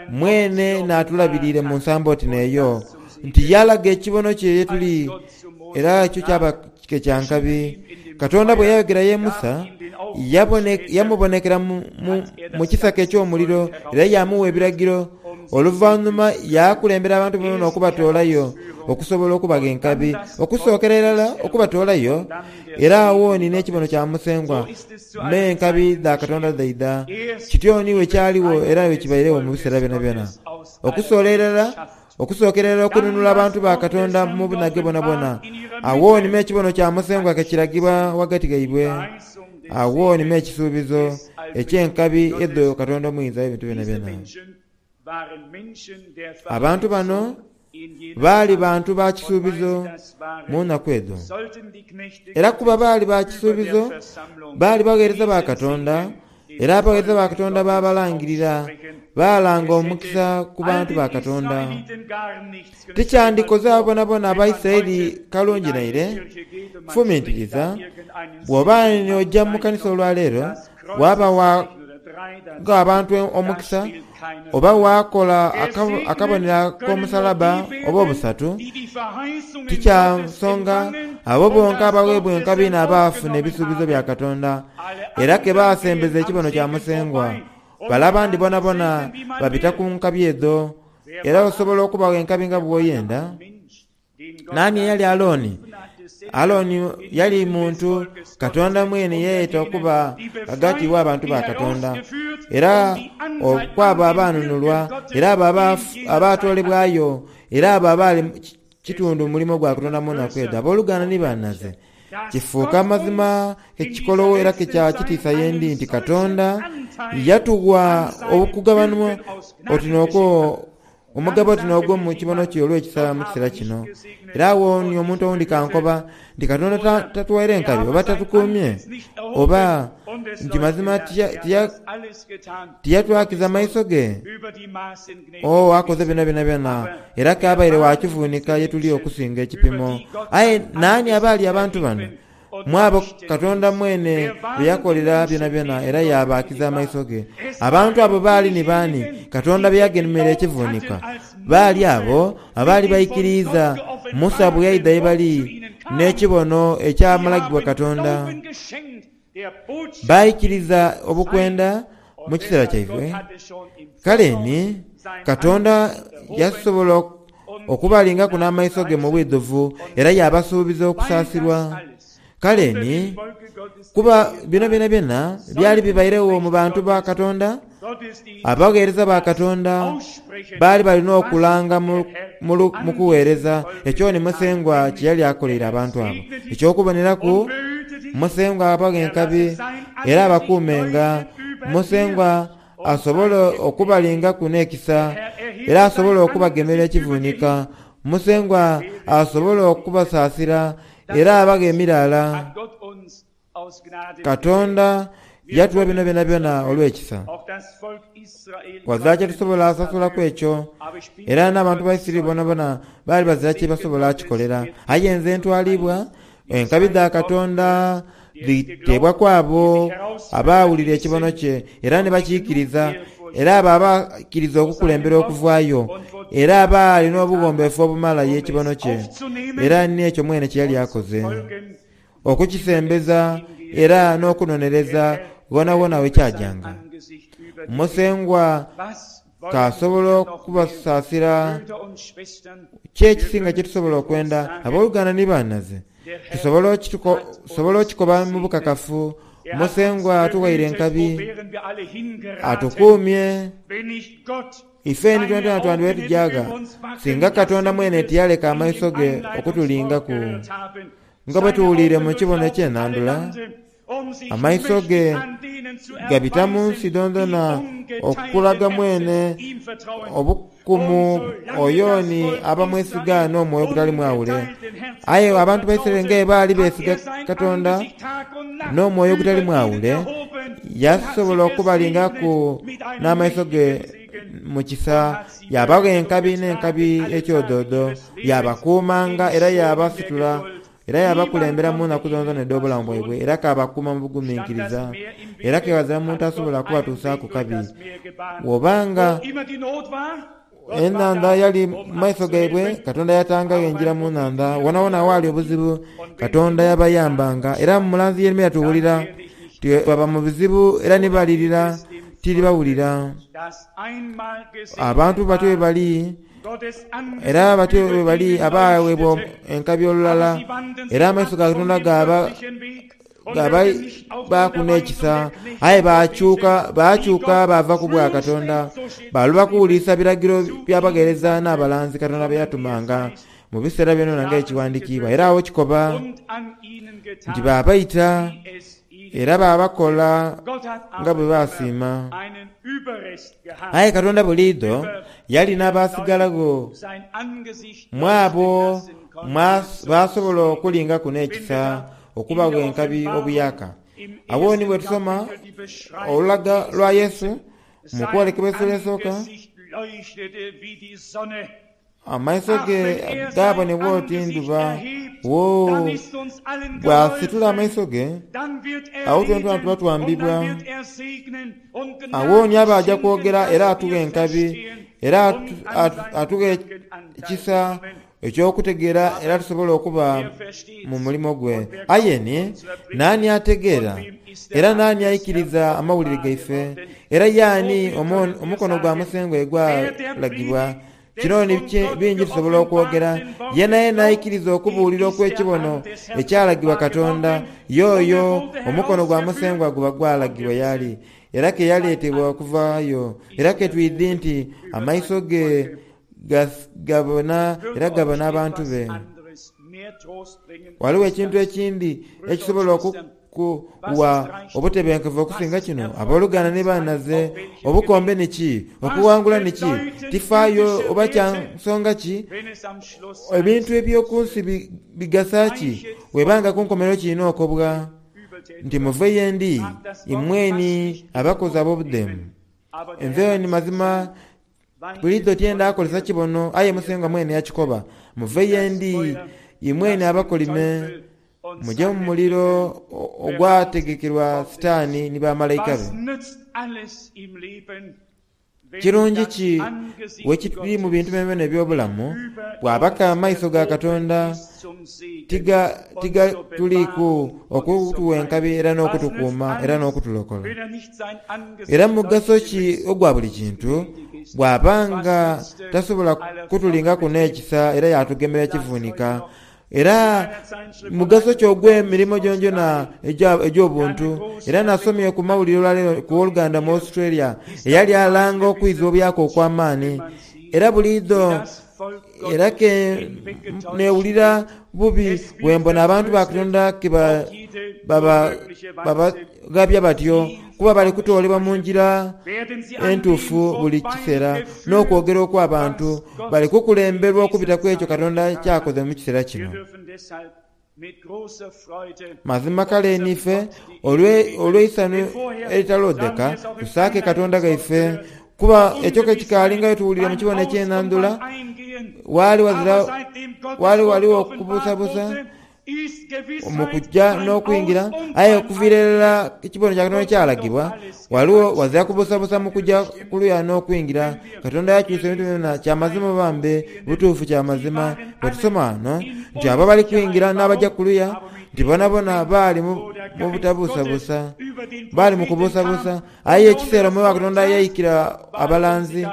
Speaker 2: mwene n'atulabiriire mu nsambo oti n'eyo, nti yalaga ekibono kye ye tuli, era ekyo kyaba ke kya nkabi. Katonda bwe yayogera ye Musa, yamubonekera mu kisaka eky'omuliro era yaamugha ebiragiro. Oluvanhuma yaakulembera abantu boonaboona okubatoolayo okusobola okubagha enkabi. Okusookera irala okubatoolayo, era agho ni n'ekibono kya Musengwa n'enkabi dha Katonda dhaidha. Kityo ni bwe kyaligho era bwe kibairegho mu biseera byonabyona. Okusoolera irala, okusookera irala okununula abantu ba Katonda mu bunhage bwonabwona, agho ni m'ekibono kya Musengwa ke kiragibwa ghagati ghaibwe. Agho ni m'ekisuubizo eky'enkabi edho Katonda Omuyinza w'ebintu byonabyona. Abantu bano baali bantu ba kisuubizo mu nnaku edho. Era kuba baali ba kisuubizo, baali bagheereza ba Katonda, era abagheereza ba Katonda baabalangirira, baalanga omukisa ku bantu ba Katonda. Tikyandikoze abo boonaboona Abaisiraeli kalungi naire? Fumintiriza, Bw'oba ni oja mu kanisa olwaleero, waaba wa gha abantu omukisa, oba waakola akabonero ak'omusalaba oba obusatu, ti kya nsonga. Abo bonka abagheebwa enkabi n'abaafuna ebisuubizo bya Katonda, era ke baasembeza ekibono kya Musengwa. Bale abandi bonabona babita ku nkabi edho. Era osobola okubagha enkabi nga bw'oyenda. Naani eyali Alooni? Aaroni yali muntu Katonda mwene yeeyeta okuba ghagati w'abantu ba Katonda, era kw'abo abaanunulwa, era abo abaatoolebwayo, era abo abaali kitundu mu mulimo gwa Katonda mu naku edho. Aboluganda ni banhaze, kifuuka mazima ke kikolowo era ke kya kitiisa ye ndi nti Katonda yatugha okugabanwa oti n'okwo Omugabo ti n'ogw'omu kibono kye olw'ekisa mu kiseera kino. Era agho ni omuntu owundi kankoba nti Katonda tatuwaire nkabi, oba tatukuumye, oba nti mazima tiyatwakiza maiso ge. Oo, akoze bino byonabyona, era k'abaire wa kivuunika ye tuli okusinga ekipimo. Aye naani abaali abantu bano? Mu abo Katonda mwene be yakolera byonabyona era yaabaakiza amaiso ge. Abantu abo baali ni baani Katonda be yagemera ekivunika? Baali abo abaali baikiriiza Musa bwe yaidha ye bali n'ekibono ekyamalagibwa Katonda. Baikiriza obukwenda mu kiseera kyaibwe. Kale ni Katonda yasobola okubalingaku n'amaiso ge mu bwidhuvu era yaabasuubiza okusaasirwa. Kale ni, kuba bino byonabyona byali bibairegho mu bantu ba Katonda, abagheereza ba Katonda baali bali n'okulanga mu kugheereza ekyo ni Musengwa kye yali akoleire abantu abo. Eky'okuboneraku, Musengwa abaghe enkabi era abakuumenga. Musengwa asobole okubalingaku n'ekisa, era asobole okubagemera ekivunika. Musengwa asobole okubasaasira era abaghe emiraala. Katonda yatugha bino byonabyona olw'ekisa. Ghazira kye tusobola sasulaku ekyo, era n'abantu ba Isiraeli boonaboona baali bazira kye basobola kikolera. Aye nze ntwaliibwa Enkabi dha Katonda dhiteebwa ku abo abaawulira ekibono kye era ni bakiikiriza, era abo abaikiriza okukulembera okuvaayo, era abaali n'obughombeefu obumala y'ekibono kye, era n'ekyo mwene kye yali akoze, okukisembeza era n'okunonereza ghonhaghonha we kyajanga. Musengwa k'asobola okubasaasira. Ki ekisinga kye tusobola okwenda, aboluganda ni banhaze? Tusobola okikoba mu bukakafu, Musengwa atughaire enkabi, atukuumye. Ife ni twentwena twandibaire tuja gha, singa Katonda mwene tiyaleka amaiso ge okutulingaku, nga bwe tuwuliire mu kibono eky'enhandhula? Amaiso ge gabita mu nsi dhoondhona okulaga mwene obukumu oyo ni abamwesiga n'omwoyo ogutali mwawule. Aye abantu ba Isiraeli nga bwe baali beesiga Katonda n'omwoyo ogutali mwawule, yasobola okubalingaku n'amaiso ge mu kisa, yaabagha enkabi n'enkabi ekyodoodo, yaabakuumanga era yaabasitula. Era yaabakulembera mu naku dhoonadhoona edh'obulamu bwaibwe, era kaabakuuma mu buguminkiriza, era ke ghazira muntu asobola kubatuusaaku kabi. Bw'oba nga enhandha yali mu maiso gaibwe, Katonda yatangagho engira mu nhandha. Wonawona awaali obuzibu, Katonda yabayambanga. Era mu mulanzi Yeremia tuwulira nti baba mu bizibu era ni balirira, tiribawulira. Abantu batyo bwe bali. Era batyo bwe bali abaagheebwa enkabi olulala, era amaiso ga Katonda gaabaaku n'ekisa. Aye baakyuka baakyuka baava ku bwa Katonda, baaloba kuwulirisa biragiro bya bagheereza n'abalanzi Katonda be yatumanga mu biseera byonabyona ng'ekighandikiibwa. Era agho kikoba nti baabaita era baabakola nga bwe baasiima. Aye Katonda buliidho yali n'abaasigalagho mu abo baasobola okulingaku n'ekisa okubagha enkabi obuyaaka. Agho ni bwe tusoma olulaga lwa Yesu mu kwolekebwa esula esooka, Amaiso ge gaabonebwa oti ndhuba. Woo! Bw'asitula amaiso ge, agho twentwena tuba twambibwa. Agho ni aba aja kwogera era atughe enkabi, era atughe ekisa eky'okutegeera era tusobole okuba mu mulimo gwe. Aye ni, naani ategeera? Era naani aikiriza amawulire gaife? Era yaani omukono gwa Musengwa ye gwalagibwa? Kino ni bingi tusobola okwogera. Yenayena aikiriza okubuulira okw'ekibono ekyalagibwa Katonda, y'oyo omukono gwa Musengwa guba gwalagibwa y'ali, era ke yaleetebwa okuvaayo. Era ke twidhi nti amaiso ge gabona era gabona abantu be. Ghaligho ekintu ekindi ekisobola okukuwa obutebenkevu okusinga kino? Aboluganda ni banhaze, obukombe ni ki? Okughangula ni ki? Tifaayo oba kya nsonga ki, ebintu eby'oku nsi bigasa ki bweba nga ku nkomerero kirina okobwa nti muve ye ndi, imweni abakozi ab'obudheemu. Nze ni mazima Buliidho tyenda kozesa kibono, aye Musengwa mwene yakikoba, Muve ye ndi, imwene abakolime, muje mu muliro ogwategekerwa Sitaani ni bamalaika be. Kirungi ki wekiri mu bintu byonabyona eby'obulamu, bw'aba ke amaiso ga Katonda tigatuliiku okutuwa enkabi era n'okutukuuma era n'okutulokola? Era mugaso ki ogwa buli kintu bw'aba nga tasobola kutulingaku n'ekisa era yaatugemera ekivunika? Era mugaso ki ogw'emirimo gyonagyona egy'obuntu? Era nasomye ku mawulire olwaleero ku owoluganda mu Australia eyali alanga okwiza obuyaaka okw'amaani. Era buliidho era ke neewulira bubi bwe mbona abantu ba Katonda ke babaghabya batyo, kuba bali kutoolebwa mu ngira entuufu buli kiseera n'okwogera okw'abantu. Bali kukulemberwa okubita ku ekyo Katonda ky'akoze mu kiseera kino. Mazima kale ni ife olw'eisanhu eritaloodheka tusaake Katonda ghaife, kuba ekyo ke kikaali nga bwe tuwulire mu kibono eky'enhandhula, waali wazira waali ghaligho okubuusabuusa mu kuja n'okwingira, aye okuviira irala ekibono kya Katonda kyalagibwa, ghaligho wazira kubuusabuusa mu kuja ku luya n'okwingira. Katonda yakyusa ebintu byonabyona. Kya mazima oba mbe butuufu kya mazima bwe tusoma ghano nti abo abali kwingira n'abaja kuluya nti bonabona baali mu butabuusabuusa, baali mu kubuusabuusa. Aye ekiseera Omwoyo wa Katonda yaikira abalanzi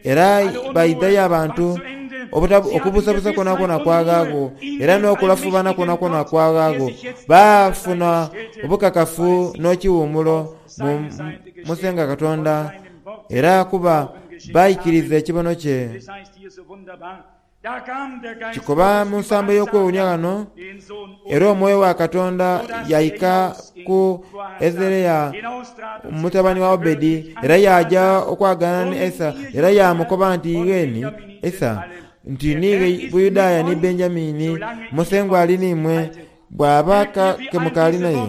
Speaker 2: era baidhayo abantu, okubuusabuusa kwonakwona kwaghaagho era n'okulafuubana kwonakwona kwaghaagho. Baafuna obukakafu n'ekiwuumulo mu Musengwa Katonda. Era kuba baikiriza ekibono kye. Kikoba mu nsambo ey'okwewuunia ghano, Era omwoyo wa Katonda yaika ku Ezerea mutabani wa Obedi, era yaaja okwagaana ni Asa, era yaamukoba nti, Iweni Asa, nti ni Buyudaaya ni Benjamini, Musengwa ali n'imwe, bw'aba ke mukaali naye.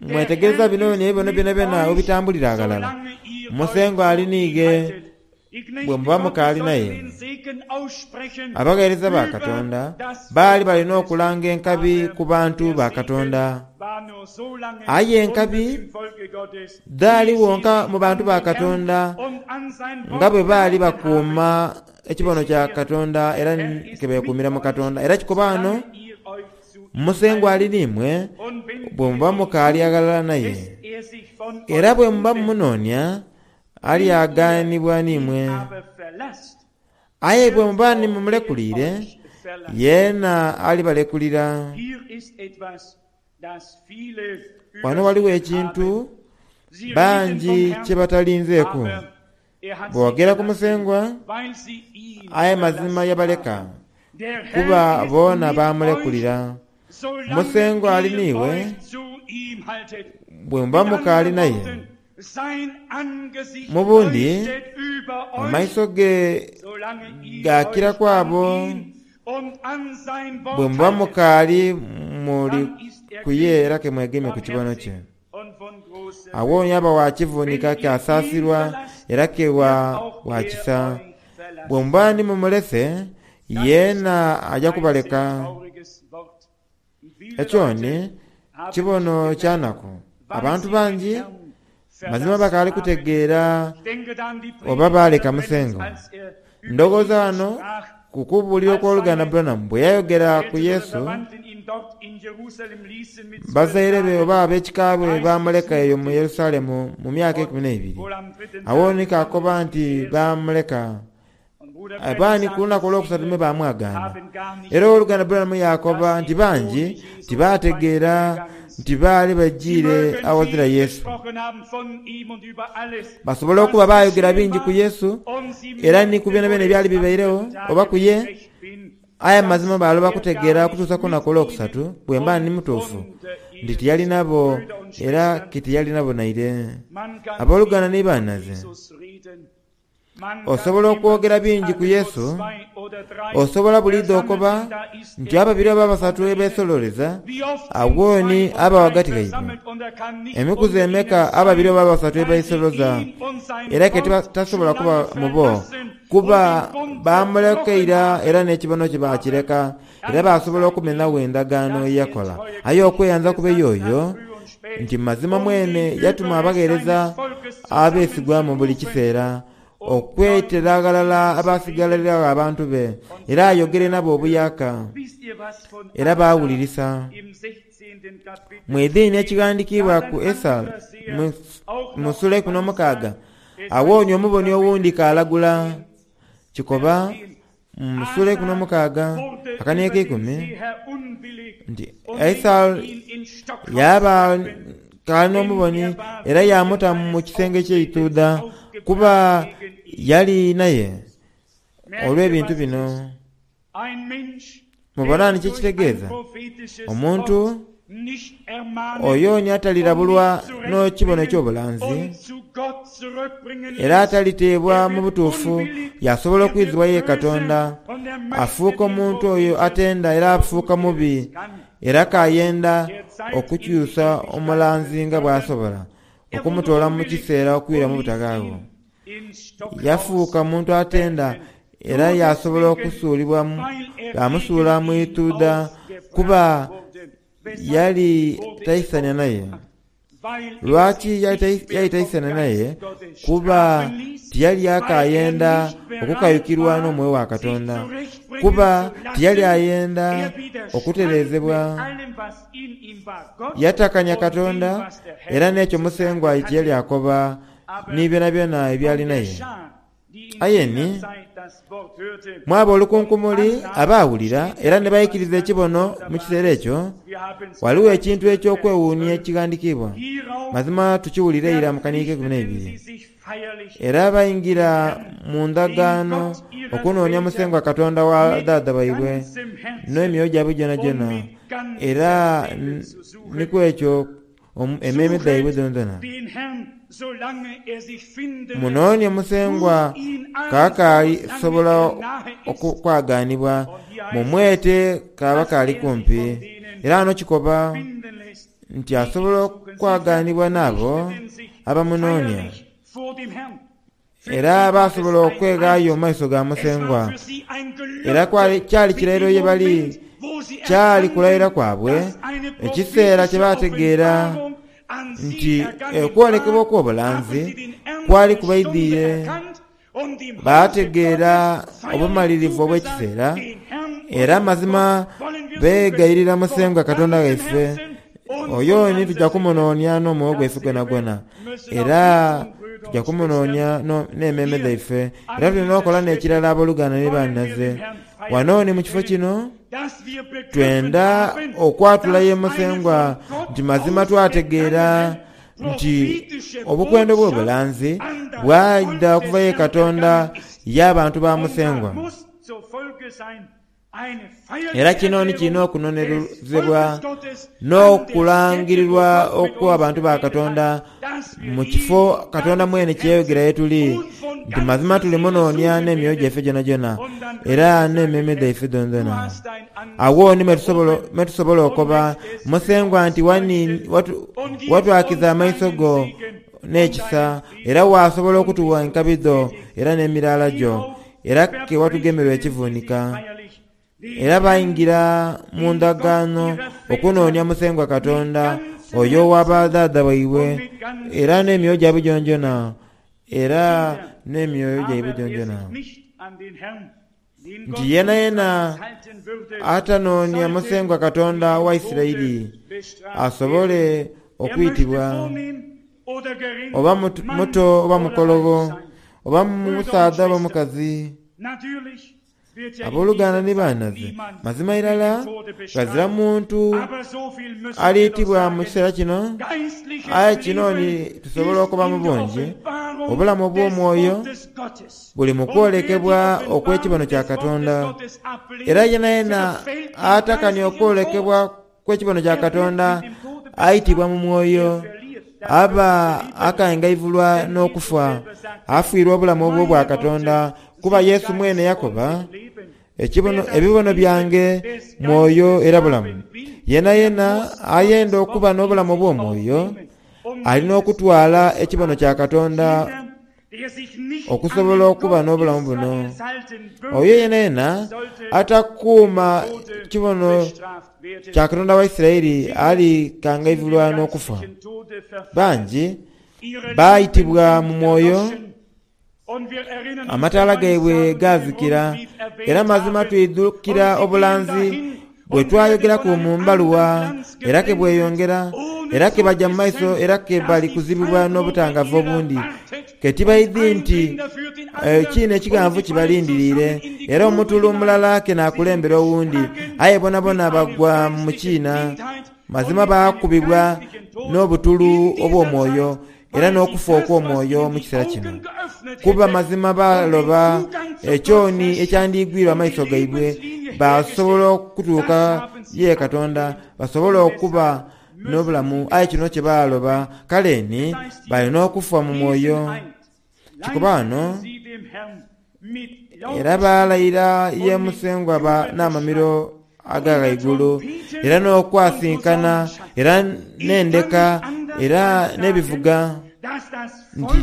Speaker 2: Mwetegereza bino n'ebibono byonabyona bwe bitambulira aghalala. Musengwa ali n'ighe bwe muba mukaali naye. Abagheereza ba Katonda baali bali n'okulanga enkabi ku bantu ba Katonda. Aye enkabi dhaali wonka mu bantu ba Katonda nga bwe baali bakuuma ekibono kya Katonda era ke beekuumira mu Katonda. Era kikoba ghano. Musengwa ali n'imwe bwe muba mukaali aghalala naye, era bwe muba mumunoonia alyagaanibwa n'imwe. Aye bwe muba ni mumulekuliire, yeena alibalekulira. Ghano ghaligho ekintu bangi kye batalinzeeku. Boogera ku Musengwa, aye mazima yabaleka, kuba boona baamulekulira. Musengwa ali n'iwe bwe muba mukaali naye. Mu bundi, amaiso ge gaakira ku abo bwe muba mukaali muli ku ye era ke mwegemye ku kibono kye. Agho yaaba wa kivunika ke asaasirwa era ke wa kisa. Bwe muba ni mumulese, yeena aja kubaleka. Ekyo ni kibono kya naku. Abantu bangi mazima bakaali kutegeera oba baaleka Musengwa. Ndhoghoza ghano ku kubuulira okw'oluganda Branham bwe yayogera ku Yesu, bazaire be oba ab'ekika bwe baamuleka eyo mu Yerusalemu mu myaka eikumi n'eibiri. Agho ni kaakoba nti baamuleka. Abaani ku lunaku olwokusatu mwe baamwagaana. Era ow'oluganda Branham yaakoba nti bangi tibaategeera nti baali bajiire aghazira Yesu. Basobola okuba baayogera bingi ku Yesu era ni ku byonabyona ebyali bibairegho oba ku ye, aye mu mazima baaloba kutegeera okutuusa ku lunaku olwokusatu, bwemba ndi mutuufu, nti tiyali nabo era ke tiyali nabo naire. Aboluganda ni banhaze, Osobola okwogera bingi ku Yesu. Osobola buliidho okoba nti ababiri oba abasatu ebesololeza, agho ni aba ghagati ghaibwe. Emikuzi emeka ababiri oba abasatu ebeisoloza era ke tasobola kuba mu bo, kuba baamuleka ira era n'ekibono kye baakireka, era baasobola okumenhagho endagaano ye yakola. Aye okweyanza kube y'oyo nti mazima mwene yatuma abagheereza abeesigwa mu buli kiseera, okwetera aghalala abasigaliragho abantu be, era ayogere nabo obuyaaka, era baawulirisa. Mwidhini ekighandikiibwa ku Esau mu sula eikumi n'omukaaga, Agho ni omuboni owundi k'alagula, kikoba Mu sula eikumi n'omukaaga akania ak'eikumi nti Esau yaaba k'ali n'omuboni era yaamuta mu kisenge ky'eituudha kuba yali naye olw'ebintu bino. Mubona ni kye kitegeeza? Omuntu Oyo ni atalirabulwa n'ekibono eky'obulanzi, era ataliteebwa mu butuufu yaasobola okwizibwa ye Katonda, afuuka omuntu oyo atenda era afuuka mubi, era k'ayenda okukyusa omulanzi nga bw'asobola, okumutoola mu kiseera okwira mu butaghaagho. Yafuuka muntu atenda era yaasobola okusuulibwa baamusuula mu ituudha kuba yali taisania naye. Lwaki yali taisania naye? Kuba tiyali akaayenda okukayukirwa n'omwoyo wa Katonda. Kuba tiyali ayenda okutereezebwa. Yatakania Katonda era n'ekyo Musengwa kye yali akoba ni byonabyona ebyali naye. Aye ni, mwaba olukunkumuli abaawulira era ni baikiriza ekibono mu kiseera ekyo, ghaligho ekintu eky'okwewuunia ekighandikiibwa. Mazima tukiwulira eira mu kaniiko eikumi n'eibiri. Era baingira mu ndagaano okunoonia Musengwa Katonda wa dhaadha baibwe n'emyoyo gyaibwe gyonagyona, era ni ku ekyo emmeeme dhaibwe dhoonadhoona. Munoonie Musengwa kaakaali sobola okwagaanibwa, mumwete kaaba kaali kumpi. Era ghano kikoba nti asobola okwagaanibwa n'abo abamunoonia. Era baasobola okweghaayo mu maiso ga Musengwa. Era kyali kirayiro ye bali, kyali kulayira kwabwe, ekiseera kye baategeera nti okwolekebwa okw'obulanzi kwali kubaidhiire. Baategeera obumalirivu obw'ekiseera, era mazima beegayirira Musengwa Katonda waife. Oyo ni tuja kumunoonia n'omwoyo gwaife gwonagwona, era tuja kumunoonia n'emmeeme dhaife. Era tuli n'okola n'ekirala aboluganda ni banhinaze. Wano ni mu kifo kino, twenda okwatula ye Musengwa nti mazima twategeera nti obukwenda obw'obulanzi bwaidha okuva ye Katonda y'abantu ba Musengwa. Era kino ni kirina okunonerezebwa n'okulangirirwa okw'abantu ba Katonda mu kifo Katonda mwene kye yayogera ye tuli nti mazima tulimunoonia n'emyoyo gyaife gyonagyona era n'emmeeme dhaife dhoonadhoona. Agho ni mwe tusobola okoba Musengwa nti watwakiza amaiso go n'ekisa era waasobola okutuwa enkabi dho era n'emiraala gyo. Era ke watugemerwa ekivunika. Era baingira mu ndagaano okunoonia Musengwa Katonda oyo owa badhaadha baibwe, era n'emyoyo gyaibwe gyonagyona, era n'emyoyo gyaibwe gyonagyona. Nti yeenayeena atanoonia Musengwa Katonda wa Isiraeli asobole okwitibwa. Oba muto oba mukologho, oba musaadha oba mukazi. Aboluganda ni banhaze, mazima irala ghazira muntu aliitibwa mu kiseera kino. Aye kino ni tusobola okuba mu bungi, obulamu obw'omwoyo buli mu kwolekebwa okw'ekibono kya Katonda. Era yenayena atakania okwolekebwa kw'ekibono kya Katonda aitibwa mu mwoyo, aba akangaivulwa n'okufa, afiirwa obulamu obw'Obwakatonda. Kuba Yesu mwene yakoba, Ekibono, ebibono byange mwoyo era bulamu. Yenayena ayenda okuba n'obulamu obw'omwoyo ali n'okutwala ekibono kya Katonda okusobola okuba n'obulamu buno. Oyo yenayena atakuuma kibono kya Katonda wa Isiraeli alikangaivulwa n'okufa. Bangi baitibwa mu mwoyo. Amataala gaibwe gaazikira, era mazima twidhukira obulanzi bwe twayogeraku mu mbaluwa, era ke bweyongera, era ke baja mu maiso, era ke bali kuzibibwa n'obutangavu obundi, ke tibaidhi nti ekiina ekighanvu kibalindiriire, era omutulu mulala ke naakulembera owundi, aye bonabona bagwa mu kiina. Mazima baakubibwa n'obutulu obw'omwoyo era n'okufa okw'omwoyo mu kiseera kino. Kuba mazima baaloba ekyoni ekyandiigwirwa amaiso gaibwe, baasobola okutuuka ye Katonda, basobole okuba n'obulamu. Aye kino kye baaloba, kale ni bali n'okufa mu mwoyo. Kikoba ghano, Era baalayira ye Musengwa n'amamiro aga ghaigulu, era n'okwasinkana, era n'endeka, era n'ebivuga, nti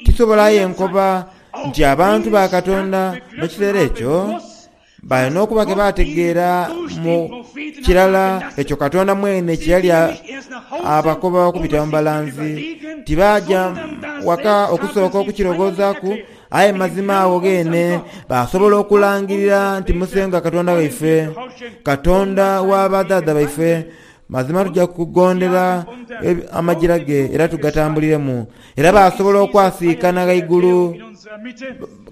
Speaker 2: tisobola aye nkoba nti abantu ba Katonda mu kiseera ekyo bali n'okuba ke baategeera mu kirala ekyo Katonda mwene kye yali abakoba okubita mu balanzi. Tibaaja waka okusooka okukirowoozaaku, aye mazima agho gheene baasobola okulangirira nti Musengwa Katonda waife, Katonda wa badhaadha baife, mazima tuja kugondera amagira ge era tugatambuliremu. Era baasobola okwasiikana ghaigulu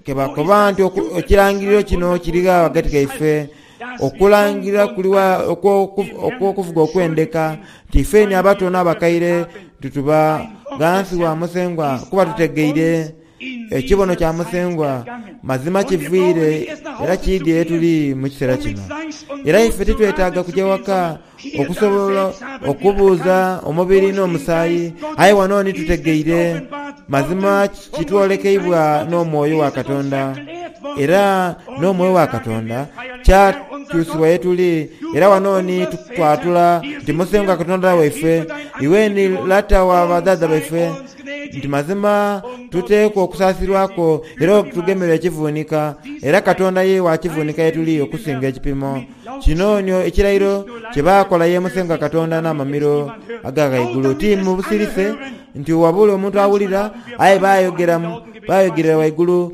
Speaker 2: ke bakoba nti, Ekirangiriro kino kiri gha ghagati ghaife? Okulangirira kuli gha okw'okuvuga okw'endeka nti ifeeni abato n'abakaire tituba ghansi wa Musengwa kuba tutegeire Ekibono kya Musengwa mazima kiviire era kiidhie ye tuli mu kiseera kino. Era ife titwetaaga kuja waka okusobola okubuuza omubiri n'omusaayi, aye wano ni tutegeire mazima kitwolekeibwa n'Omwoyo wa Katonda, era n'Omwoyo wa Katonda kyatuusibwa ye tuli. Era wano ni twatula nti Musengwa Katonda waife, iwe ni Lata wa badhaadha baife, nti mazima tuteekwa okusaasirwa kwo era otugemerwe ekivuunika, era Katonda ye wa kivuunika ye tuli okusinga ekipimo. Kino ni ekirayiro kye baakola ye Musengwa Katonda n'amamiro aga ghaigulu, ti mu busirise nti wabula omuntu awulira, aye baayogera baayogerera ghaigulu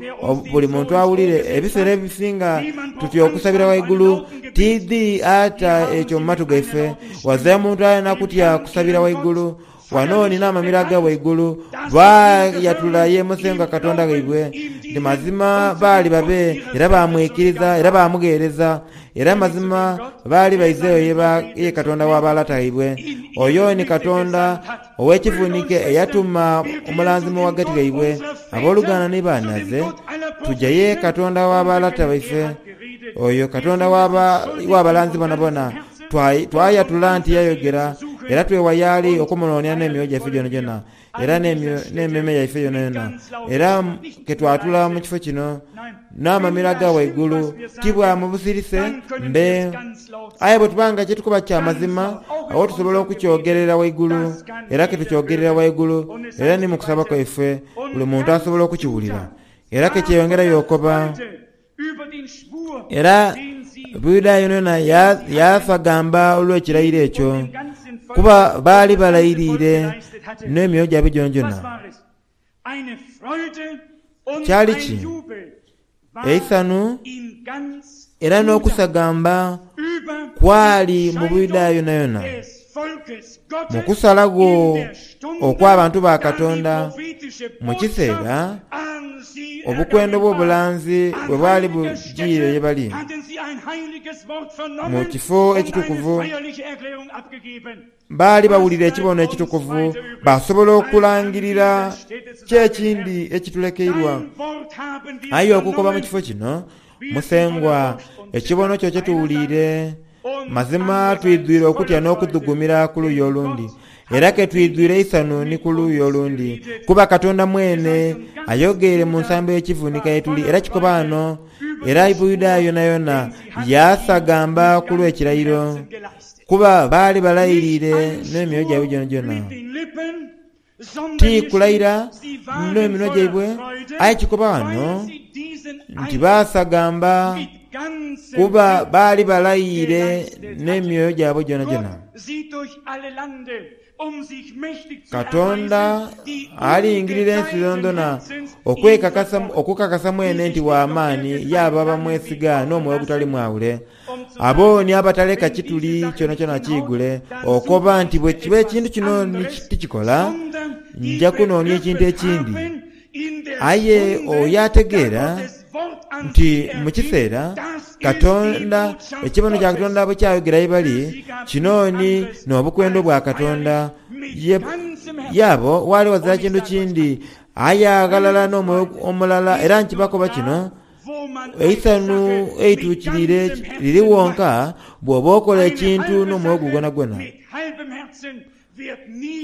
Speaker 2: buli muntu awulire. Ebiseera ebisinga tutya okusabira ghaigulu, tiidhi ata ekyo mu matu gaife. Ghazira muntu alina kutya kusabira ghaigulu. Wano ni n'amamiro aga ghaigulu baayatula ye Musengwa Katonda waibwe nti mazima baali babe, era baamwikiriza era baamugheereza. Era mazima baali baizeeyo ye Katonda wa balata baibwe. Oyo ni Katonda ow'ekivuunike eyatuma omulanzi mu ghagati ghaibwe. Aboluganda ni banhaze, tuja ye Katonda wa balata baife, oyo Katonda w'abalanzi bonabona. Twayatula nti yayogera, era twewa y'ali okumunoonia n'emyoyo gyaife gyonagyona era n'emmeeme yaife yonayona. Era ke twatula mu kifo kino n'amamiro aga ghaigulu, ti bwa mu busirise mbe. Aye bwe tuba nga kye tukoba kya mazima, agho tusobola okukyogerera ghaigulu, era ke tukyogerera ghaigulu, era ni mu kusaba kwaife buli muntu asobola okukiwulira. Era ke kyeyongerayo okoba. Era Buyudaaya yonayona yaasagamba olw'ekirayiro ekyo, kuba baali balayiriire n'emyoyo gyaibwe gyonagyona. Kyali ki? Eisanhu era n'okusagamba kwali mu Buyudaaya yonayona mu kusalagho okw'abantu ba Katonda mu kiseera. Obukwenda obw'obulanzi bwe bwali bujiire ye bali mu kifo ekitukuvu, baali bawulira ekibono ekitukuvu, baasobola okulangirira ki ekindi ekitulekeirwa. Aye okukoba mu kifo kino, Musengwa, ekibono kyo kye tuwuliire, mazima twidhwire okutya n'okudhugumira ku luuyi olundi, era ke twidhwire eisanhu ni ku luuyi olundi, kuba Katonda mwene ayogeire mu nsambo y'ekivunika ye tuli. Era kikoba ghano, era Buyudaaya yonayona yaasagamba ku lw'ekirayiro, kuba baali balayiriire n'emyoyo gyaibwe gyonagyona. Ti kulayira n'eminwa gyaibwe, aye kikoba ghano nti baasagamba kuba baali balayiire n'emyoyo gyabwe gyonagyona. Katonda alingirira ensi dhoonadhoona okukakasa mwene nti wa maani y'abo abamwesiga n'omwoyo ogutali mwawule. Abo ni abataleka kituli kyonakyona kiigule, okoba nti bwe kiba ekintu kino ni tikikola, nja kunoonia ekintu ekindi. Aye oyo ategeera nti mu kiseera Katonda, ekibono kya Katonda bwe kyayogera ye bali, kino ni n'obukwenda obwa Katonda, ye, ye abo waali ghazira kintu kindi aye aghalala n'omwoyo omulala. Era nkibakoba kino, Eisanhu eituukiriire liri wonka bw'oba okola ekintu n'omwoyo gwo gwonagwona.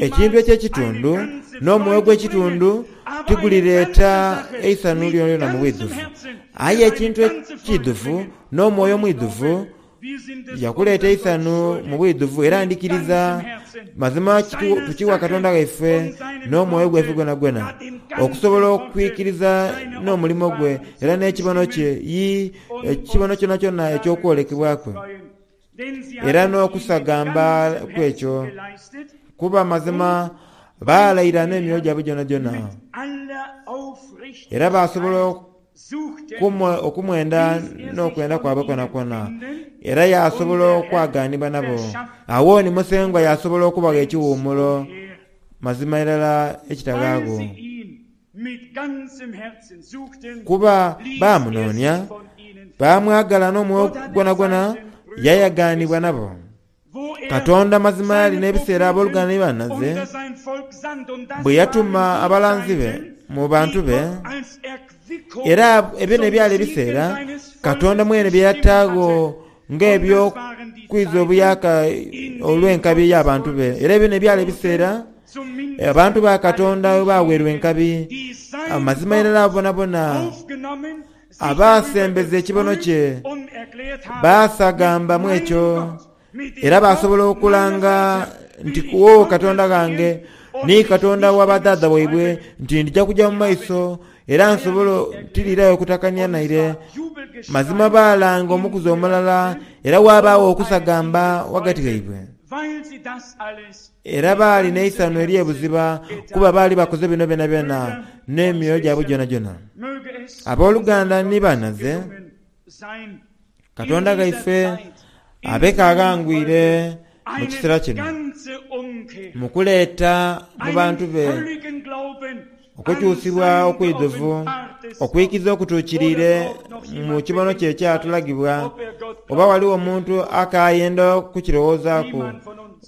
Speaker 2: Ekintu eky'ekitundu n'omwoyo gw'ekitundu tigulireeta eisanhu lyonalyona mu bwidhuvu. Aye ekintu ekiidhuvu n'omwoyo omwidhuvu Yakuleeta eisanhu mu bwidhuvu, era ndhikiriza mazima tukiwa Katonda ghaife n'omwoyo gwaife gwonagwona, okusobola okwikiriza n'omulimo gwe era n'ekibono kye, yii, ekibono kyonakyona eky'okwolekebwa kwe, era n'okusagamba kw'ekyo. Kuba mazima baalayira n'emyoyo gyabwe gyonagyona, era baasobola okumwenda n'okwenda kwabwe kwonakwona, era yaasobola okwagaanibwa nabo. Agho ni Musengwa yaasobola okubagha ekiwuumulo mazima irala ekitaghaagho. Kuba baamunoonia, baamwagala n'omwoyo gwonagwona, yaayagaanibwa nabo. Katonda mazima yali n'ebiseera aboluganda ni banhaze bwe yatuma abalanzi be mu bantu be, era ebyo n'ebyali ebiseera Katonda mwene bye yataagho ng'eby'okwiza obuyaaka olw'enkabi ey'abantu be. Era ebyo n'ebyali ebiseera abantu ba Katonda bwe baaweerwa enkabi. Amazima irala abo bonabona Abaasembeza ekibono kye baasagamba mu ekyo, era baasobola okulanga nti, Wo Katonda ghange, ni Katonda wa badhaadha baibwe, nti ndija kuja mu maiso era nsobole tiriirayo kutakania naire. Mazima baalanga omukuzi omulala, era waabaagho okusagamba ghagati ghaibwe. Era baali n'eisanhu ery'ebuziba kuba baali bakoze bino byonabyona n'emyoyo gyabwe gyonagyona. Aboluganda ni banhaze, Katonda ghaife abe k'aghangwire mu kiseera kino mu kuleeta mu bantu be Okukyusibwa okwidhuvu, okwikiza okutuukiriire mu kibono kye ekyatulagibwa, oba ghaligho omuntu akaayenda okukirowoozaaku,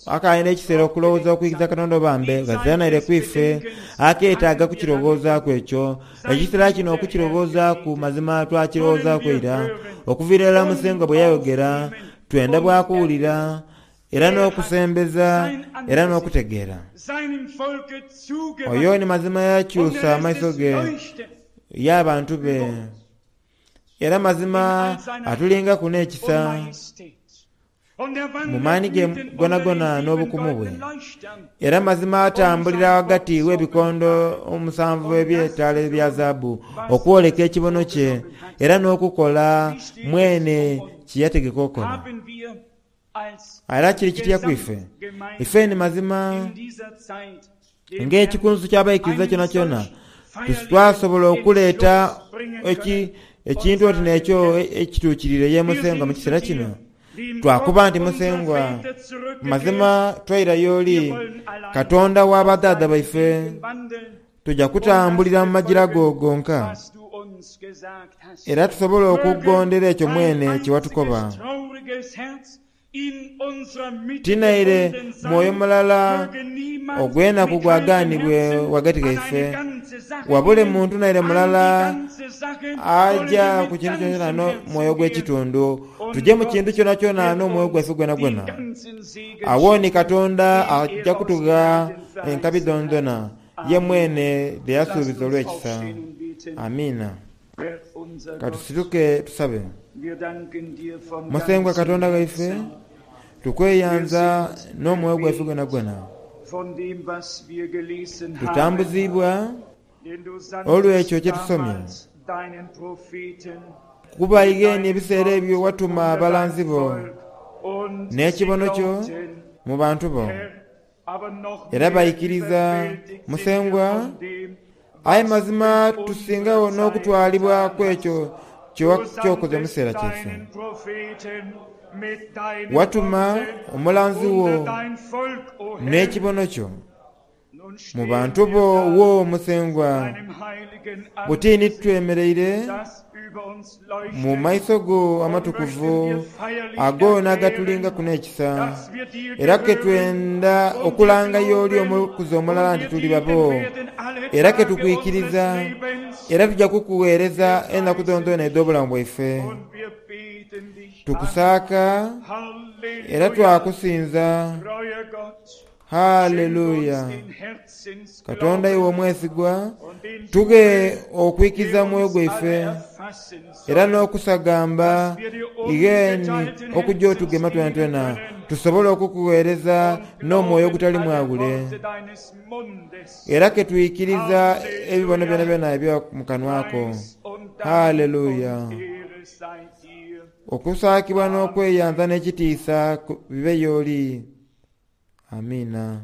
Speaker 2: akaayenda ekiseera okulowooza okwikiza Katonda oba mbe, ghazira naire ku ife akeetaaga kukirowoozaaku ekyo. Ekiseera kino okukirowoozaaku mazima twakirowoozaaku ira. Okuviira irala Musengwa bwe yayogera, twenda bwa kuwulira. Era n'okusembeza, era n'okutegeera. Oyo ni mazima yakyusa amaiso ge y'abantu be, era mazima atulingaku n'ekisa mu maani ge gonagona n'obukumu bwe. Era mazima atambulira ghagati w'ebikondo omusanvu eby'etaala ebya zaabu okwoleka ekibono kye era n'okukola mwene kye yategeka okola. Era kiri kitya ku ife? Ife ni mazima ng'ekikunsu ky'abaikiriza kyonakyona twasobola okuleeta ekintu oti n'ekyo ekituukiriire ye Musengwa mu kiseera kino? Twakoba nti, Musengwa, mazima twaira y'oli, Katonda wa badhaadha baife, tuja kutambulira mu magira go gonka. Era tusobole okugondera ekyo mwene kye watukoba. Ti naire mwoyo mulala ogw'enaku gwagaanibwe ghagati ghaife, wabule muntu naire mulala aja ku kintu kyonakyona n'omwoyo gw'ekitundu. Tuje mu kintu kyonakyona n'omwoyo gwaife gwenagwena. Agho ni Katonda aja kutugha enkabi dhoonadhoona ye mwene dhe yasuubiza olw'ekisa. Amiina. Ka tusituke tusabe. Musengwa Katonda waife, tukweyanza n'omwoyo gwaife gwenagwena. Tutambuziibwa olw'ekyo kye tusomye. Kuba ighe ni ebiseera ebyo watuma abalanzi bo n'ekibono kyo mu bantu bo, era baikiriza Musengwa. Aye mazima tusingagho n'okutwalibwa ku ekyo ky'okoze mu kiseera kyaife. Watuma omulanzi wo n'ekibono kyo mu bantu bo, wo Musengwa. Buti ni twemereire mu maiso go amatukuvu ago n'agatulingaku n'ekisa, era ke twenda okulanga y'oli omukuzi omulala nti tuli babo, era ke tukwikiriza, era tuja kukugheereza enaku dhoonadhoona edh'obulamu bwaife. Tukusaaka era twakusinza. Haleluya! Katonda iwe omwesigwa, tughe okwikiriza mu mwoyo gwaife era n'okusagamba ighe ni okuja otugema twenatwena, tusobole okukugheereza n'omwoyo ogutali mwawule. Era ke twikiriza ebibono byonabyona ebya mu kanwa ko. Haleluya! Okusaakibwa n'okweyanza n'ekitiisa bibe y'oli. Amiina.